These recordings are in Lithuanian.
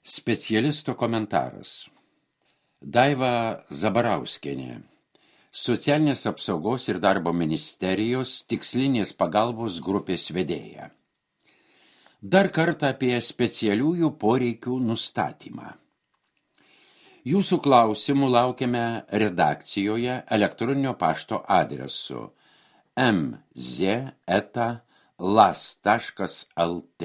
Specialisto komentaras. Daiva Zabarauskienė, Socialinės apsaugos ir darbo ministerijos tikslinės pagalbos grupės vedėja. Dar kartą apie specialiųjų poreikių nustatymą. Jūsų klausimų laukiame redakcijoje elektroninio pašto adresu mz@las.lt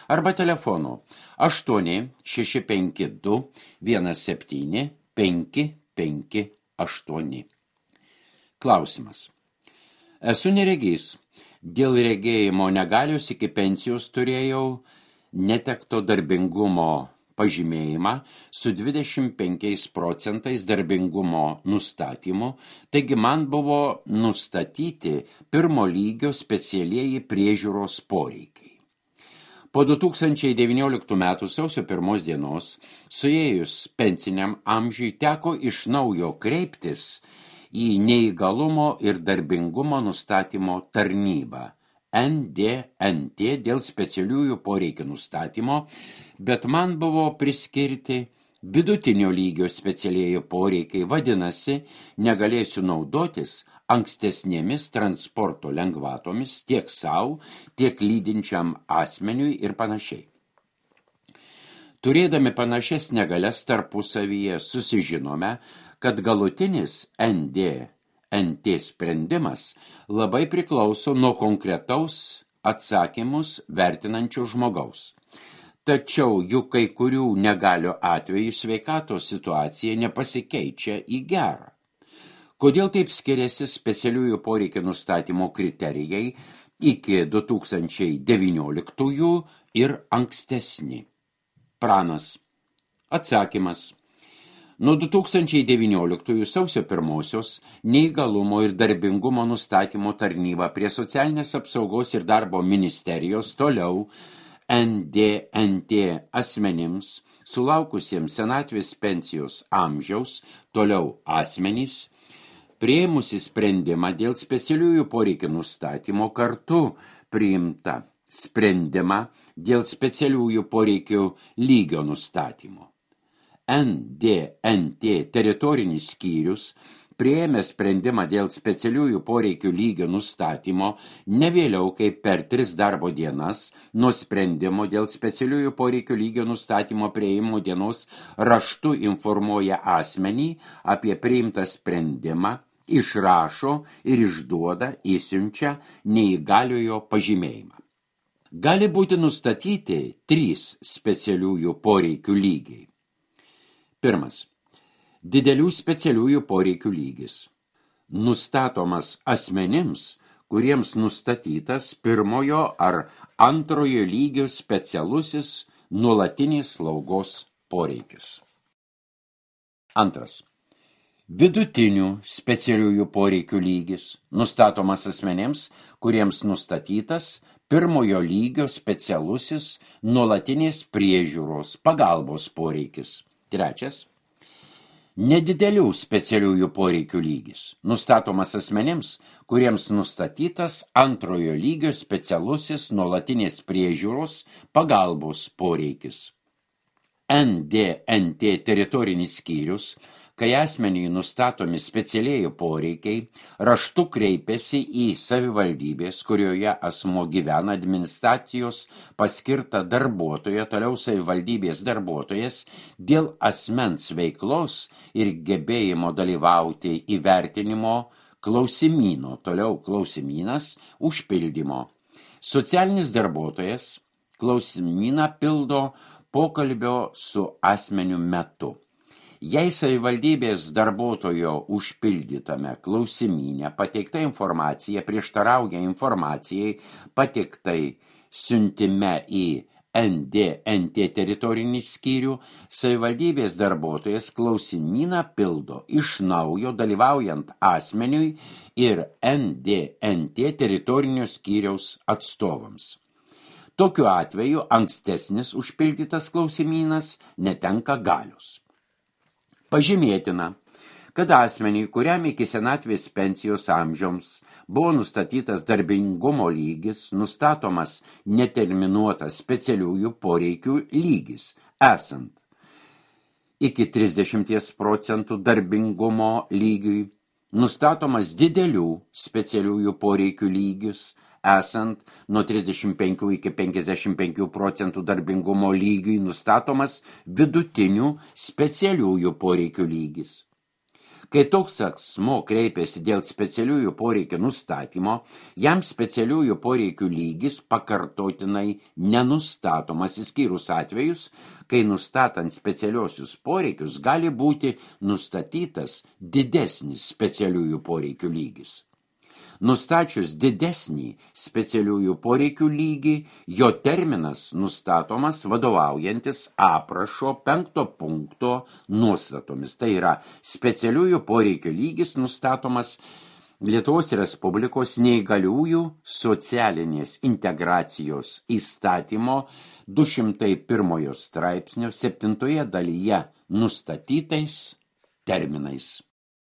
arba telefonu 8652 17 558. Klausimas. Esu neregys. Dėl regėjimo negalios iki pensijos turėjau netekto darbingumo pažymėjimą su 25% darbingumo nustatymu, taigi man buvo nustatyti pirmo lygio specialieji priežiūros poreikiai. Po 2019 metų sausio 1 dienos, suėjus pensiniam amžiui, teko iš naujo kreiptis į neįgalumo ir darbingumo nustatymo tarnybą NDNT dėl specialiųjų poreikių nustatymo, bet man buvo priskirti vidutinio lygio specialieji poreikiai, vadinasi, negalėsiu naudotis ankstesnėmis transporto lengvatomis tiek savo, tiek lydinčiam asmeniui ir panašiai. Turėdami panašias negalias tarpusavyje susižinome, kad galutinis NDNT sprendimas labai priklauso nuo konkretaus atsakymus vertinančio žmogaus. Tačiau juk kai kurių negalių atveju sveikatos situacija nepasikeičia į gerą. Kodėl taip skiriasi specialiųjų poreikių nustatymo kriterijai iki 2019 ir ankstesni? Pranas. Atsakymas. Nuo 2019 sausio 1 neįgalumo ir darbingumo nustatymo tarnyba prie Socialinės apsaugos ir darbo ministerijos toliau NDNT asmenims, sulaukusiems senatvės pensijos amžiaus, toliau asmenys, priėmusi sprendimą dėl specialiųjų poreikių nustatymo, kartu priimta sprendimą dėl specialiųjų poreikių lygio nustatymo. NDNT teritorinis skyrius priėmė sprendimą dėl specialiųjų poreikių lygio nustatymo ne vėliau kaip per 3 darbo dienas nuo sprendimo dėl specialiųjų poreikių lygio nustatymo priėjimo dienos raštu informuoja asmenį apie priimtą sprendimą, išrašo ir išduoda, įsiunčia neįgaliojo pažymėjimą. Gali būti nustatyti 3 specialiųjų poreikių lygiai. 1. Didelių specialiųjų poreikių lygis. Nustatomas asmenims, kuriems nustatytas 1 ar 2 lygio specialusis nuolatinės slaugos poreikis. 2. Vidutinių specialiųjų poreikių lygis. Nustatomas asmenims, kuriems nustatytas 1 lygio specialusis nuolatinės priežiūros pagalbos poreikis. 3. Nedidelių specialiųjų poreikių lygis. Nustatomas asmenims, kuriems nustatytas 2 lygio specialusis nuolatinės priežiūros pagalbos poreikis. NDNT teritorinis skyrius, kai asmeniui nustatomi specialieji poreikiai, raštu kreipiasi į savivaldybės, kurioje asmuo gyvena, administracijos paskirtą darbuotoją, toliau savivaldybės darbuotojas, dėl asmens veiklos ir gebėjimo dalyvauti įvertinimo klausimyno, toliau klausimynas, užpildymo. Socialinis darbuotojas klausimyną pildo pokalbio su asmeniu metu. Jei savivaldybės darbuotojo užpildytame klausimyne pateikta informacija prieštarauja informacijai pateiktai siuntime į NDNT teritorinį skyrių, savivaldybės darbuotojas klausimyną pildo iš naujo dalyvaujant asmeniui ir NDNT teritorinio skyriaus atstovams. Tokiu atveju ankstesnis užpildytas klausimynas netenka galios. Pažymėtina, kad asmeniui, kuriam iki senatvės pensijos amžiaus buvo nustatytas darbingumo lygis, nustatomas neterminuotas specialiųjų poreikių lygis, esant iki 30% darbingumo lygiui, nustatomas didelių specialiųjų poreikių lygis, esant nuo 35 iki 55% darbingumo lygiui nustatomas vidutinių specialiųjų poreikių lygis. Kai toks asmuo kreipiasi dėl specialiųjų poreikių nustatymo, jam specialiųjų poreikių lygis pakartotinai nenustatomas, išskyrus atvejus, kai nustatant specialiosius poreikius gali būti nustatytas didesnis specialiųjų poreikių lygis. Nustačius didesnį specialiųjų poreikių lygį, jo terminas nustatomas vadovaujantis aprašo 5 punkto nuostatomis. Tai yra, specialiųjų poreikių lygis nustatomas Lietuvos Respublikos neįgaliųjų socialinės integracijos įstatymo 201 straipsnio 7 dalyje nustatytais terminais.